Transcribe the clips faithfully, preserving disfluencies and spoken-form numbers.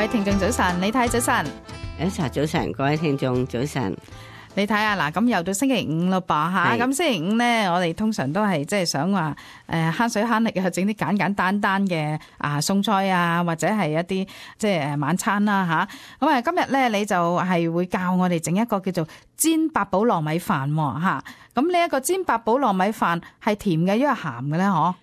位聽眾早晨，李太早晨。Elsa早晨，各位聽眾早晨。你睇下嗱，咁又到星期五咯噃吓，咁星期五咧，我哋通常都係即係想話誒慳水慳力啊，整啲簡簡單單嘅啊餸菜啊，或者係一啲即係誒晚餐啦吓。咁啊，今日咧你就係會教我哋整一個叫做煎八寶糯米飯吓。咁呢一個煎八寶糯米飯係甜嘅，因為鹹嘅咧，嗬？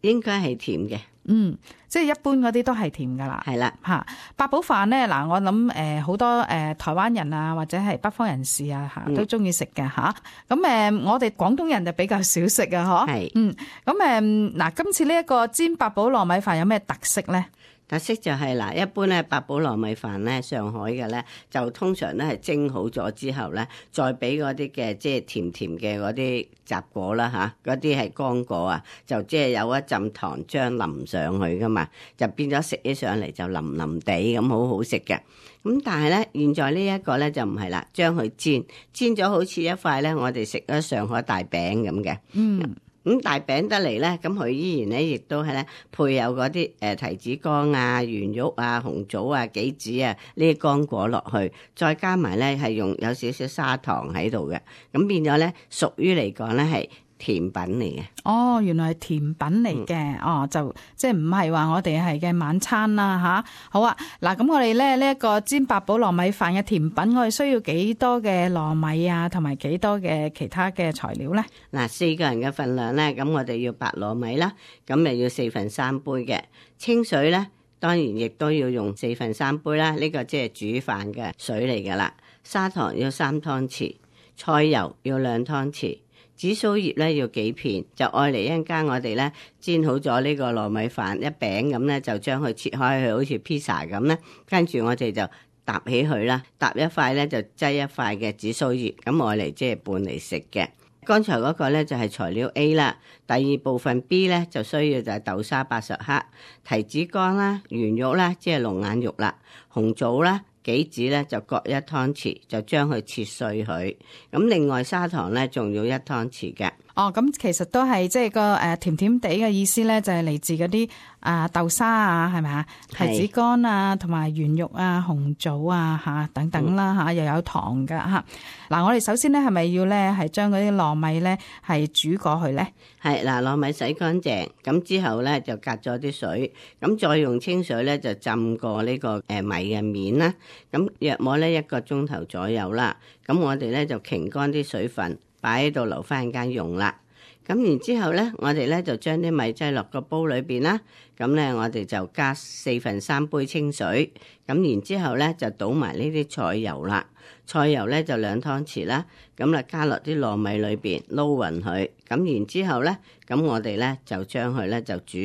應該係甜嘅。嗯，即係一般嗰啲都係甜噶啦，係啦吓。八寶飯咧，嗱我諗誒好多誒、呃、台灣人啊或者係北方人士啊吓都中意食嘅吓。咁誒、呃、我哋廣東人就比較少食啊，嗬。係，嗯，咁誒嗱今次呢一個煎八寶糯米飯有咩特色咧？特色就係、是、嗱，一般咧八寶糯米飯咧，上海嘅咧就通常咧係蒸好咗之後咧，再俾嗰啲嘅即係甜甜嘅嗰啲雜果啦吓，嗰啲係乾果啊，就即係有一浸糖漿淋上去噶嘛，就變咗食起上嚟就腍腍地咁好好食嘅。咁但係咧，現在呢一個咧就唔係啦，將佢煎煎咗好似一塊咧，我哋食咗上海大餅咁嘅。嗯。咁大餅得嚟咧，咁佢依然咧，亦都係咧配有嗰啲誒提子乾啊、圓肉啊、紅棗啊、杞子啊呢啲乾果落去，再加埋咧係用有少少砂糖喺度嘅，咁變咗咧屬於嚟講咧係甜品嚟嘅。哦，原來係甜品嚟嘅。嗯，哦，就即係唔係話我哋係嘅晚餐啦吓。好啊，嗱咁我哋咧呢一個煎八寶糯米飯嘅甜品，我哋需要幾多嘅糯米啊，同埋幾多嘅其他嘅材料咧？嗱，四個人嘅份量咧，咁我哋要白糯米啦，咁咪要四分三杯嘅清水咧，當然亦都要用四分三杯啦。呢個即係煮飯嘅水嚟噶啦。砂糖要三湯匙，菜油要兩湯匙。紫蘇葉咧要幾片，就愛嚟一陣間我哋咧煎好咗呢個糯米飯一餅咁咧，就將佢切開去，好似披薩咁咧。跟住我哋就搭起佢啦，搭一塊咧就擠一塊嘅紫蘇葉，咁愛嚟即係拌嚟食嘅。剛才嗰個咧就係材料 A 啦，第二部分 B 咧就需要就係豆沙八十克、提子乾啦、圓肉啦，即係龍眼肉啦、紅棗啦。杞子咧就各一湯匙，就將佢切碎佢。咁另外砂糖咧仲要一湯匙嘅。哦，咁其實都係即係個誒甜甜地嘅意思咧，就係嚟自嗰啲啊豆沙啊，係咪啊？提子乾啊，同埋圓肉啊、紅棗啊吓等等啦吓，又有糖噶吓。嗱，我哋首先咧係咪要咧係將嗰啲糯米咧係煮過去咧？係嗱，糯米洗乾淨，咁之後咧就隔咗啲水，咁再用清水咧就浸過呢個誒米嘅面啦。咁約莫咧一個鐘頭左右啦。咁我哋咧就擎乾啲水分，擺喺度留翻間用啦。咁然之後咧，我哋咧就將啲米擠落個煲裏邊啦。咁咧我哋就加四分三杯清水。咁然之後咧就倒埋呢啲菜油啦。菜油咧就兩湯匙啦。咁啊加落啲糯米裏邊撈勻佢。咁然之後咧，咁我哋咧就將佢咧就煮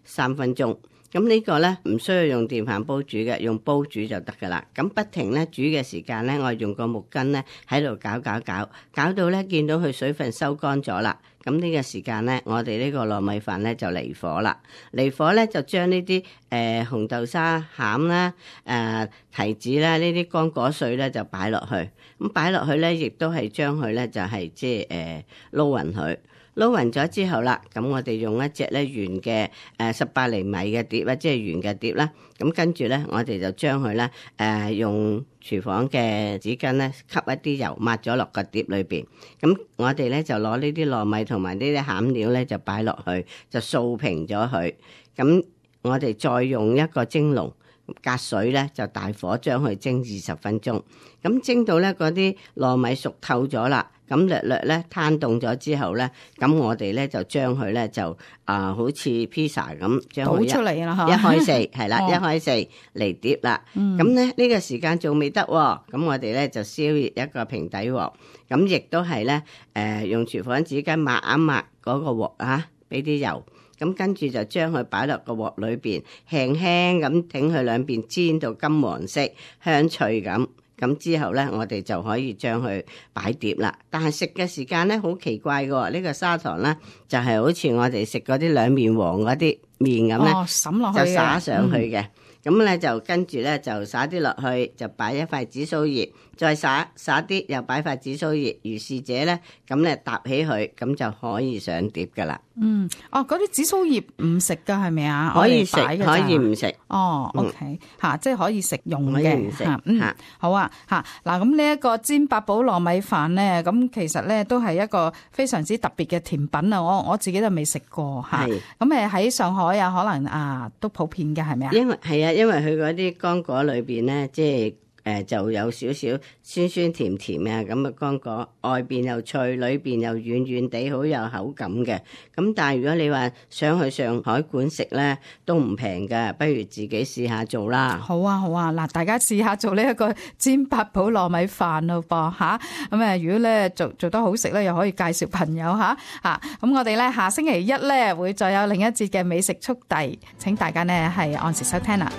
三分鐘。咁呢個咧唔需要用電飯煲煮嘅，用煲煮就得噶啦。咁不停咧煮嘅時間咧，我用個木棍咧喺度攪攪攪，攪到咧見到佢水分收乾咗啦。咁呢個時間咧，我哋呢個糯米飯咧就離火啦。離火咧就將呢啲誒紅豆沙餡啦、誒、呃、提子啦呢啲乾果碎咧就擺落去。咁擺落去咧，亦都係將佢咧就係即係誒撈勻佢。撈勻咗之後啦，咁我哋用一隻咧圓嘅誒十八厘米嘅碟啊，即係圓嘅碟啦。咁跟住咧，我哋就將佢咧誒用廚房嘅紙巾咧吸一啲油抹咗落個碟裏邊。咁我哋咧就攞呢啲糯米同埋呢啲餡料咧就擺落去，就掃平咗佢。咁我哋再用一個蒸籠隔水咧，就大火將佢蒸二十分鐘。咁蒸到咧嗰啲糯米熟透咗啦。咁略略咧攤凍咗之後咧，咁我哋咧就將佢咧就啊、呃、好似披薩咁將佢倒出嚟啦，一開四係啦，一開四嚟碟啦。咁咧呢個時間仲未得，咁我哋咧就燒熱一個平底鑊，咁亦都係咧誒用廚房紙巾抹一抹嗰個鑊啊，俾啲油，咁跟住就將佢擺落個鑊裏邊，輕輕咁整佢兩邊煎到金黃色香脆咁。咁之後咧，我哋就可以將佢擺碟啦。但係食嘅時間咧，好奇怪嘅喎。呢、這個砂糖咧，就係、是、好似我哋食嗰啲兩面黃嗰啲麵咁咧，哦、灑落去就灑上去嘅。咁咧、嗯、就跟住咧就灑啲落去，就擺一塊紫蘇葉，再撒撒啲，又擺塊紫蘇葉，如是者咧，咁咧搭起佢，咁就可以上碟噶啦。嗯，哦，嗰啲紫蘇葉唔食噶係咪啊？可以食，我哋擺㗎咋可以唔食。哦，OK，吓、嗯，即係可以食用嘅，吓，嗯，好啊，吓，嗱，咁呢一個煎八寶糯米飯咧，咁其實咧都係一個非常之特別嘅甜品啊！我我自己都未食過吓，咁誒喺上海啊，可能啊都普遍嘅，係咪啊？因為係啊，因為佢嗰啲乾果裏邊咧，即係。誒就有少少酸酸甜甜啊，咁嘅乾果，外邊又脆，裏邊又軟軟地，好有口感嘅。咁但係如果你話想去上海館食咧，都唔平㗎，不如自己試下做啦。好啊，好啊，嗱，大家試下做呢一個煎八寶糯米飯咯噃嚇。咁誒，如果咧做做得好食咧，又可以介紹朋友嚇嚇。咁我哋咧下星期一咧會再有另一節嘅美食速遞，請大家呢係按時收聽啦。